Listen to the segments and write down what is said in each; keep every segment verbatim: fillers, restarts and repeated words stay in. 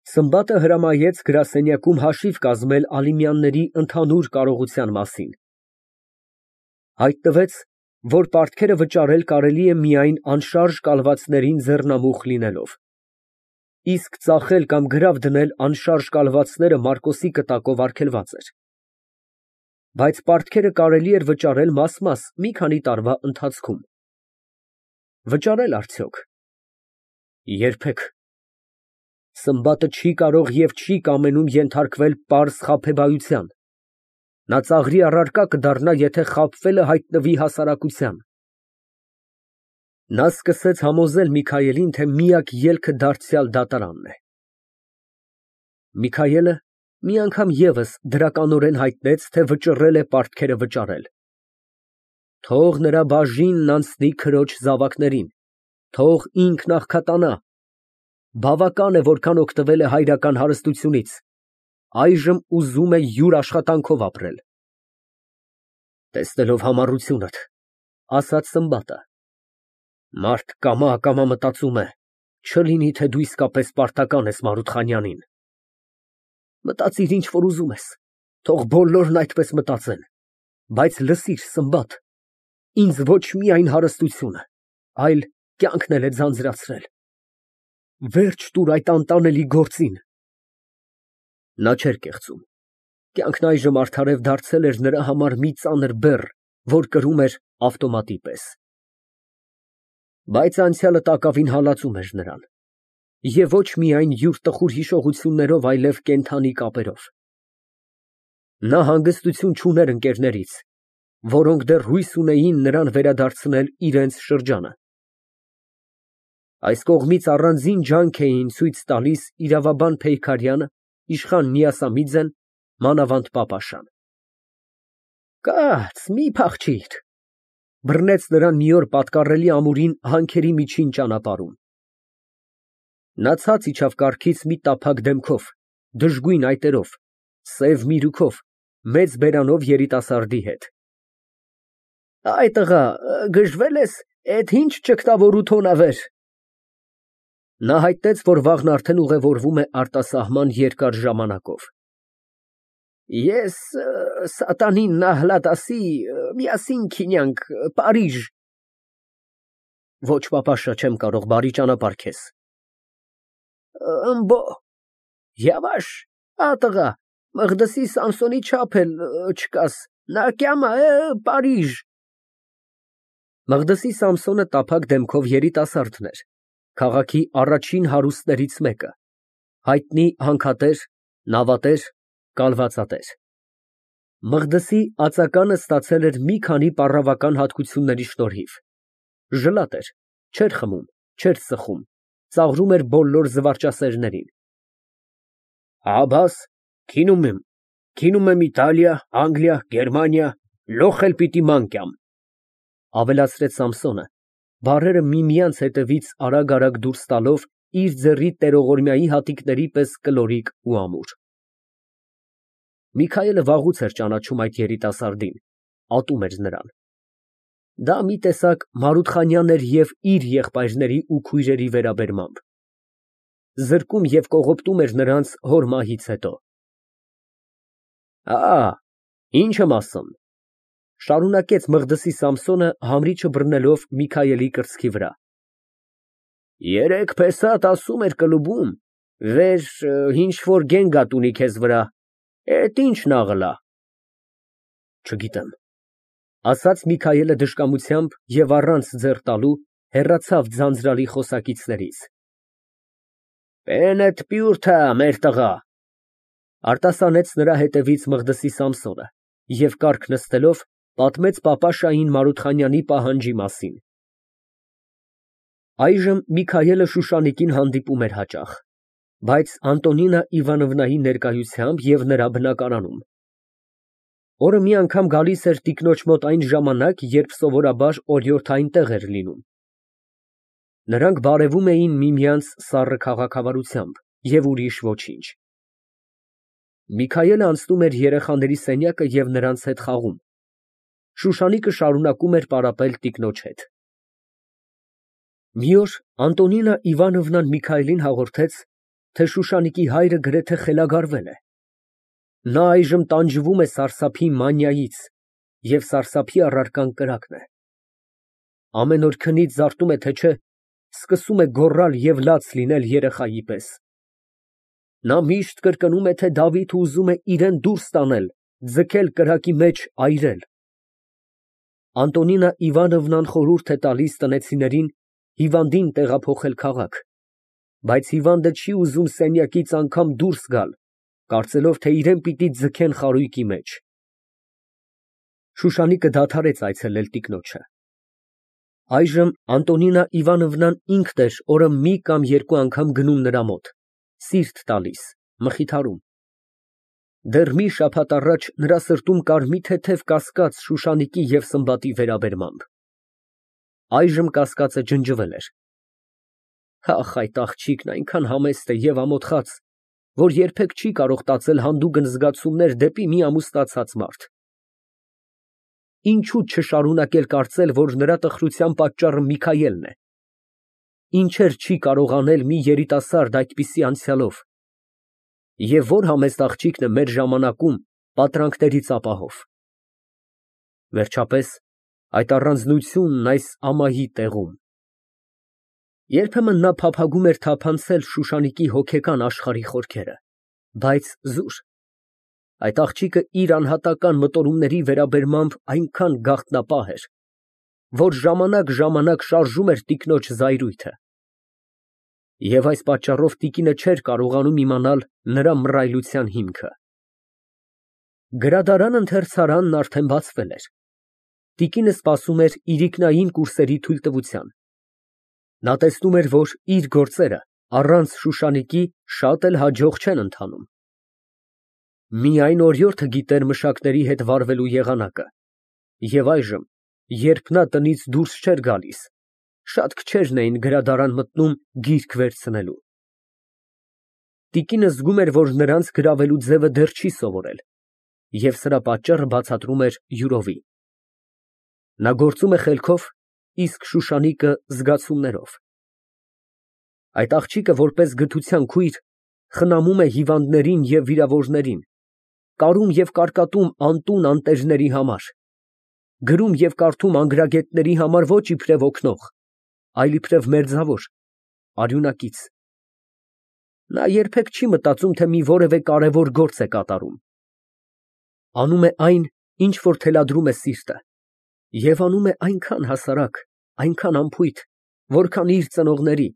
Սմբատը հրամայեց գրասենյակում հաշիվ կազմել Ալիմյանների ընդհանուր կարողության մասին. հայտնվեց, որ պարտքերը վճարել կարելի է միայն անշարժ կալվածներին ձեռնամուխ լինելով, իսկ ծախել կամ գրավ դնել անշարժ կալվածները Մարկոսի կտակով արգելված էր, բայց պարտքերը կարելի էր վճարել մաս֊մաս մի քանի տարվա ընթացքում։ Վճարե՞լ արդյոք։ Երբեք։ Սմբատը չի կարող և չի կամենում ենթարկվել պարզ խաբեբայության, նա ծաղրի առարկա կդառնա, եթե խաբվելը հայտնվի հասարակության։ Նա սկսեց համոզել Միքայելին, թե միակ ելքը դարձյալ դատարանն է։ Միքայելը մի անգամ ևս դրականորեն հայտնեց, թե վճռել է պարտքերը վճարել։ Թող նրա բաժինն անցնի քրոջ զավակներին, թող ինքն աղքատանա, բավական է, որքան օգտվել է հայրական հարստությունից, այժմ ուզում է յուր աշխատանքով ապրել։ Տեսնելով համառությունդ, ասաց Սմբատը, մարդ կամա֊ակամա մտածում է, չլինի թե դու իսկապես պարտական ես Մարութխանյանին։ Մտածիր ինչ որ ուզում ես, թող բոլորն այդպես մտածեն, բայց լսիր, Սմբատ, ինձ ոչ միայն հարստությունը, այլ կյանքն էլ է ձանձրացրել։ Վերջ տուր այդ անտանելի գործին։ Նա չէր կեղծում, կյանքն այժմ արդարև դարձել էր նրա համար մի ծանր բեռ, որ կրում էր ավտոմատի պես։ Բայց անցյալը տակավին հալածում էր նրան, և ոչ միայն յուր տխուր հիշողություններով, այլև կենդանի կապերով։ Նա հանգստություն չուներ ընկերներից, որոնք դեռ հույս ունեին նրան վերադարձնել իրենց շրջանը։ Այս կողմից առանձին ջանք էին ցույց տալիս իրավաբան Փեյքարյանը, իշխան Նիասամիձեն, մանավանդ պապաշան։ Կաց, մի փախչիր, բռնեց նրան մի օր պատկառելի ամուրին հանքերի միջին ճանապարհում։ Նա ցած իջավ կառքից մի տափակ դեմքով, դժգույն այտերով, սև միրուքով, մեծ բերանով երիտասարդի հետ։ Այ տղա, գժվել ես, էդ ինչ ճգտավորութ հոնավեր։ Նա հայտնեց, որ վաղն արդեն ուղևորվում է արտասահման երկար ժամանակով։ Ես սատանին նահլատասի, միասին քինյանք, Պարիժ։ Ոչ, պապաշա, չեմ կարող, բարի ճանապարհ քեզ։ Ըմբո, յավաշ, ա տղա, Մղդսի Սամսոնի չափ էլ չկաս, նա կյամա է, Պարիժ։ Մղդսի Սամսոնը տափակ դեմքով երիտասարդն էր, քաղաքի առաջին հարուստներից մեկը, հայտնի հանքատեր, նավատեր, կալվածատեր։ Մղդսի ածականը ստացել էր մի քանի պառավական հատկությունների շնորհիվ։ Ժլատ էր, չէր խմում, չէր ծխում, ծաղրում էր բոլոր զվարճասերներին։ Աբաս, քինում եմ, քինում եմ Իտալիա, Անգլիա, Գերմանիա, լոխ էլ պիտի մանկյամ, ավելացրեց Սամսոնը, բառերը միմյանց հետևից արագ֊արագ դուրս տալով իր ձեռի տերողորմյայի հատիկների պես կլորիկ ու ամուր։ Միքայելը վաղուց էր ճանաչում այդ երիտասարդին, ատում էր նրան։ Դա մի տեսակ Մարութխանյան էր և իր եղբայրների ու քույրերի վերաբերմամբ։ Զրկում և կողոպտում էր նրանց հոր մահից հետո։ Ա, ինչ եմ ասում, շարունակեց Մղդսի Սամսոնը, համրիչը բռնելով Միքայելի կրծքի վրա։ Երեկ փեսատ ասում էր կլուբում, վեր ինչ որ գենգատ ունի քեզ վրա, էդ ինչ նաղլա։ Չգիտեմ, ասաց Միքայելը դժկամությամբ և առանց ձեռ տալու հեռացավ ձանձրալի խոսակիցներից։ Պենդ պյուրթա, մեր տղա, արտասանեց նրա հետևից Մղդսի Սամսոնը և կառք նստելով պատմեց պապաշային Մարութխանյանի պահանջի մասին։ Այժմ Միքայելը Շուշանիկին հանդիպում էր հաճախ, բայց Անտոնինա Իվանովնայի ներկայությամբ և նրա բնակարանում։ Օրը մի անգամ գալիս էր տիկնոջ մոտ այն ժամանակ, երբ սովորաբար օրիորդային տեղ էր լինում։ Նրանք բարևում էին միմյանց սառը քաղաքավարությամբ և ուրիշ ոչինչ։ Միքայելը անցնում էր երեխաների սենյակը և նրանց հետ խաղում։ Շուշանիկը շարունակում էր պարապել տիկնոջ հետ։ Մի օր Անտոնինա Իվանովնան Միքայելին հաղորդեց, թե Շուշանիկի հայրը գրեթե խելագարվել է։ Նա այժմ տանջվում է սարսափի մանիայից, և սարսափի առարկան կրակն է։ Ամեն օր քնից զարտում է, թե չէ, սկսում է գոռալ և լաց լինել երեխայի պես։ Նա միշտ կրկնում է, թե Դավիթը ուզում է իրան դուրս տանել, ձգել կրակի մեջ, այրել։ Անտոնինա Իվանովնան խորհուրդ է տալիս տնեցիներին հիվանդին տեղափոխել քաղաք, բայց հիվանդը չի ուզում սենյակից անգամ դուրս գալ, կարծելով, թե իրան պիտի ձգեն խարույկի մեջ։ Շուշանիկը դադարեց այցելել տիկնոջը։ Այժմ Անտոնինա Իվանովնան ինքն էր օրը մի կամ երկու անգամ գնում նրա մոտ, սիրտ տալիս, մխիթարում։ Դեռ մի շաբաթ առաջ նրա սրտում կար մի թեթև կասկած Շուշանիկի և Սմբատի վերաբերմամբ։ Այժմ կասկածը ջնջվել էր։ Ախ, այդ աղջիկն այնքան համեստ է և ամոթխած, որ երբեք չի կարող տածել հանդուգն զգացումներ դեպի մի ամուսնացած մարդ։ Ինչո՞ւ չշարունակել կարծել, որ նրա տխրության պատճառը Միքայելն է։ Ինչեր չի կարող անել մի երիտասարդ այդպիսի անցյալով։ Եվ որ համեստ աղջիկն է մեր ժամանակում պատրանքներից ապահով։ Վերջապես, այդ առանձնությունն այս ամայի տեղում։ Երբեմն նա փափագում էր թափանցել Շուշանիկի հոգեկան աշխարհի խորքերը, բայց զուր։ Այդ աղջիկը իր անհատական մտորումների վերաբերմամբ այնքան գաղտնապահ էր, որ ժամանակ֊ժամանակ շարժում էր տիկնոջ զայրույթը։ Եվ այս պատճառով տիկինը չէր կարողանում իմանալ նրա մռայլության հիմքը։ Գրադարան֊ընթերցարանն արդեն բացվել էր։ Տիկինը սպասում էր իրիկնային կուրսերի թույլտվության։ Նա տեսնում էր, որ իր գործերը առանց Շուշանիկի շատ էլ հաջող չեն ընթանում։ Միայն օրիորդը գիտեր մշակների հետ վարվելու եղանակը, և այժմ, երբ նա տնից դուրս չէր գալիս, շատ քչերն էին գրադարան մտնում գիրք վերցնելու։ Տիկինը զգում էր, որ նրանց գրավելու ձևը դեռ չի սովորել, և սրա պատճառը բացատրում էր յուրովի։ Նա գործում է խելքով, իսկ Շուշանիկը զգացումներով։ Այդ աղջիկը որպես գթության քույր խնամում է հիվանդներին և վիրավորներին, կարում և կարկատում անտուն անտերների համար, գրում և կարդում անգրագետների համար ոչ իբրև օգնող, այլ իբրև մերձավոր, արյունակից։ Նա երբեք չի մտածում, թե մի որևէ կարևոր գործ է կատարում։ Անում է այն, ինչ որ թելադրում է սիրտը, և անում է այնքան հասարակ, այնքան անփույթ, որքան իր ծնողների,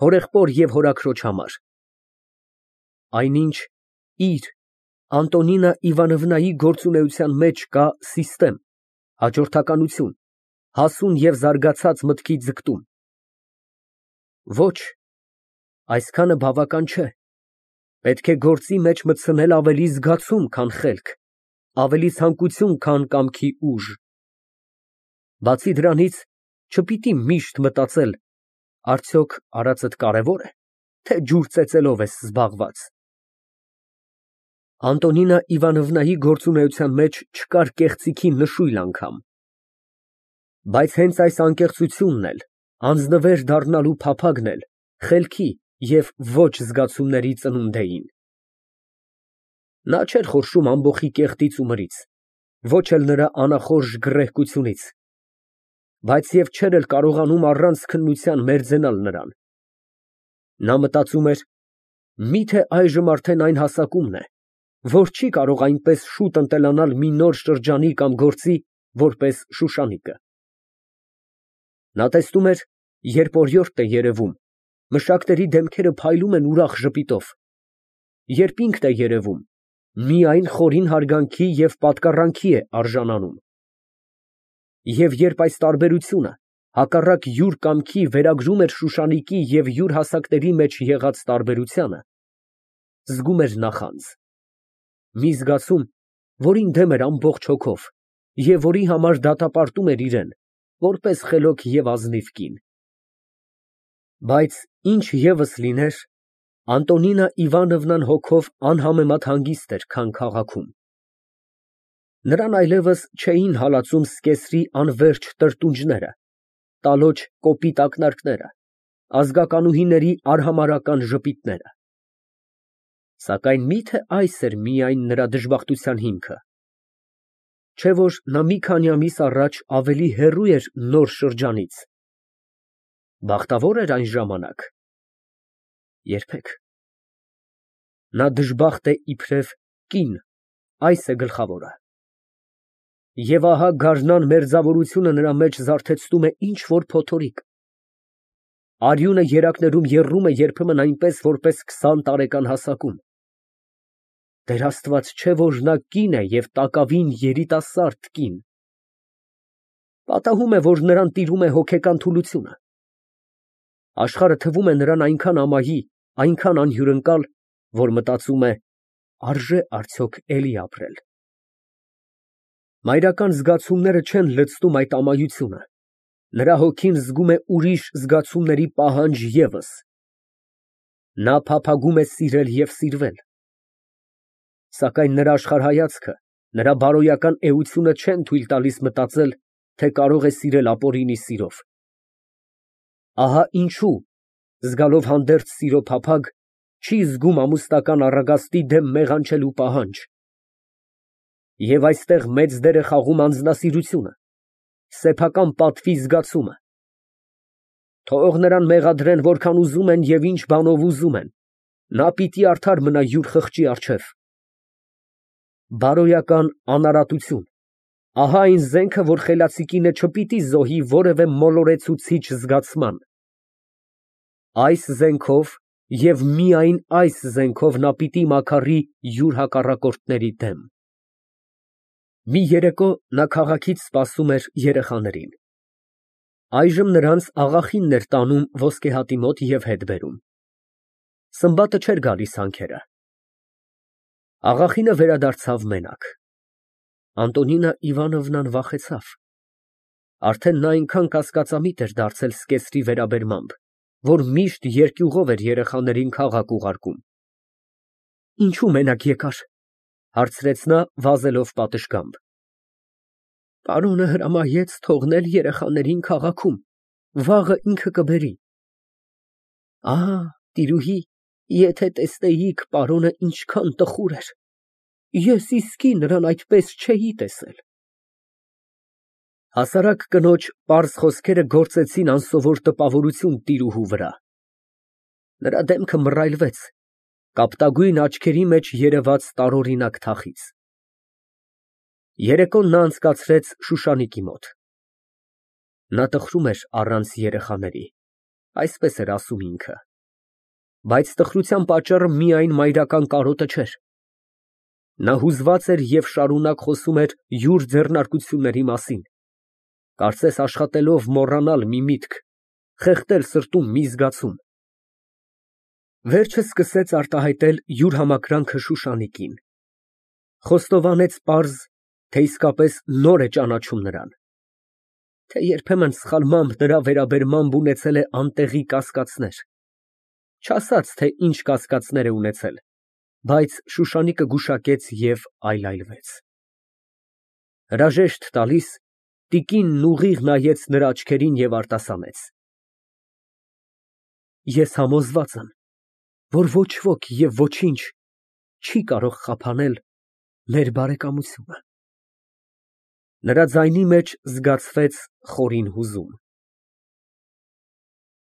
հորեղբոր և հորաքրոջ համար։ Այնինչ իր, Անտոնինա Իվանովնայի գործունեության մեջ կա սիստեմ, հաջորդականություն, հասուն և զարգացած մտքի ձգտում։ Ոչ, այսքանը բավական չէ, պետք է գործի մեջ մտցնել ավելի զգացում, քան խելք, ավելի ցանկություն, քան կամքի ուժ։ Բացի դրանից, չպիտի միշտ մտածել. արդյոք արածդ կարևո՞ր է, թե ջուր ծեծելով ես զբաղված։ Անտոնինա Իվանովնայի գործունեության մեջ չկար կեղծիքի նշույլ անգամ։ Բայց հենց այս անկեղծությունն էլ, անձնվեր դառնալու փափագն էլ խելքի և ոչ զգացումների ծնունդ էին։ Նա չէր խորշում ամբոխի կեղտից ու մրից, ոչ էլ նրա անախորժ գռեհկությունից, բայց և չէր էլ կարողանում առանց քննության մերձենալ նրան։ Նա մտածում էր. միթե այժմ արդեն այն հասակումն է, որ չի կարող այնպես շուտ ընտելանալ մի նոր շրջանի կամ գործի, որպես Շուշանիկը։ Նա տեսնում էր, երբ օրիորդ է երևում, մշակների դեմքերը փայլում են ուրախ ժպիտով, երբ ինքն է երևում, միայն խորին հարգանքի և պատկառանքի է արժանանում։ Եվ երբ այս տարբերությունը հակառակ յուր կամքի վերագրում էր Շուշանիկի և յուր հասակների մեջ եղած տարբերությանը, զգում էր նախանձ, մի զգացում, որին դեմ էր ամբողջ հոգով և որի համար դատապարտում էր իրան, որպես խելոք և ազնիվ կին։ Բայց ինչ ևս լիներ, Անտոնինա Իվանովնան հոգով անհամեմատ հանգիստ էր, քան քաղաքում։ Նրան այլևս չէին հալածում սկեսրի անվերջ տրտունջները, տալոջ կոպիտ ակնարկները, ազգականուհիների արհամարհական ժպիտները։ Սակայն միթե այս էր միայն նրա դժբախտության հիմքը, չէ՞ որ նա մի քանի ամիս առաջ ավելի հեռու էր նոր շրջանից։ Բախտավո՞ր էր այն ժամանակ։ Երբեք։ Նա դժբախտ է իբրև կին, այս է գլխավորը։ Եվ ահա գարնան մերձավորությունը նրա մեջ զարթեցնում է ինչ որ փոթորիկ։ Արյունը երակներում եռում է երբեմն այնպես, որպես քսան տարեկան հասակում։ Տեր Աստված, չէ՞ որ նա կին է և տակավին երիտասարդ կին։ Պատահում է, որ նրան տիրում է հոգեկան թուլությունը։ Աշխարհը թվում է նրան այնքան ամայի, այնքան անհյուրընկալ, որ մտածում է, արժե՞ արդյոք էլի ապրել։ Մայրական զգացումները չեն լցնում այդ ամայությունը, նրա հոգին զգում է ուրիշ զգացումների պահանջ ևս։ Նա փափագում է սիրել և սիրվել։ Սակայն նրա աշխարհայացքը, նրա բարոյական էությունը չեն թույլ տալիս մտածել, թե կարող է սիրել ապօրինի սիրով։ Ահա ինչու, զգալով հանդերձ սիրո փափագ, չի զգում ամուսնական առագաստի դեմ մեղանչելու պահանջ։ Եվ այստեղ մեծ դեր է խաղում անձնասիրությունը, սեփական պատվի զգացումը։ Թող նրան մեղադրեն որքան ուզում են և ինչ բանով ուզում են, նա պիտի արդար մնա յուր խղճի առջև։ Բարոյական անարատություն, ահա այն զենքը, որ խելացի կինը չպիտի զոհի որևէ մոլորեցուցիչ զգացման։ Այս զենքով և միայն այս զենքով նա պիտի մաքարի յուր հակառակորդների դեմ։ Մի երեկո նա քաղաքից սպասում էր երեխաներին։ Այժմ նրանց աղախինն էր տանում ոսկեհատի մոտ և հետ բերում։ Սմբատը չէր գալիս հանքերը։ Աղախինը վերադարձավ մենակ։ Անտոնինա Իվանովնան վախեցավ։ Արդեն նա այնքան կասկածամիտ էր դարձել զկեսրի վերաբերմամբ, որ միշտ երկյուղով էր երեխաներին քաղաք ուղարկում։ Ինչո՞ւ մենակ եկար, հարցրեց նա, վազելով պատշգամբ։ Պարոնը հրամայեց թողնել երեխաներին քաղաքում, վաղը ինքը կբերի։ Ահ, տիրուհի, եթե տեսնեիք պարոնը ինչքան տխուր էր, ես իսկի նրան այդպես չէի տեսել։ Հասարակ կնոջ պարզ խոսքերը գործեցին անսովոր տպավորություն տիրուհու վրա։ Նրա դեմքը մռայլվեց, կապտագույն աչքերի մեջ երևաց տարօրինակ թախիծ։ Երեկոն նա անցկացրեց Շուշանիկի մոտ։ Նա տխրում էր առանց երեխաների, այսպես էր ասում ինքը։ Բայց տխրության պատճառը միայն մայրական կարոտը չէր։ Նա հուզված էր և շարունակ խոսում էր յուր ձեռնարկությունների մասին, կարծես աշխատելով մոռանալ մի միտք, խեղդել սրտում մի զգացում։ Վերջը սկսեց արտահայտել յուր համակրանքը Շուշանիկին։ Խոստովանեց պարզ, թե իսկապես նոր է ճանաչում նրան, թե երբեմն սխալմամբ նրա վերաբերմամբ ունեցել է անտեղի կասկածներ, չասաց, թե ինչ կասկածներ է ունեցել, բայց Շուշանիկը գուշակեց և այլայլվեց։ Հրաժեշտ տալիս, տիկինն ուղիղ նայեց նրա աչքերին և արտասանեց. Ես համոզված եմ, որ ոչ ոք և ոչինչ չի կարող խափանել մեր բարեկամությունը։ Նրա ձայնի մեջ զգացվեց խորին հուզում։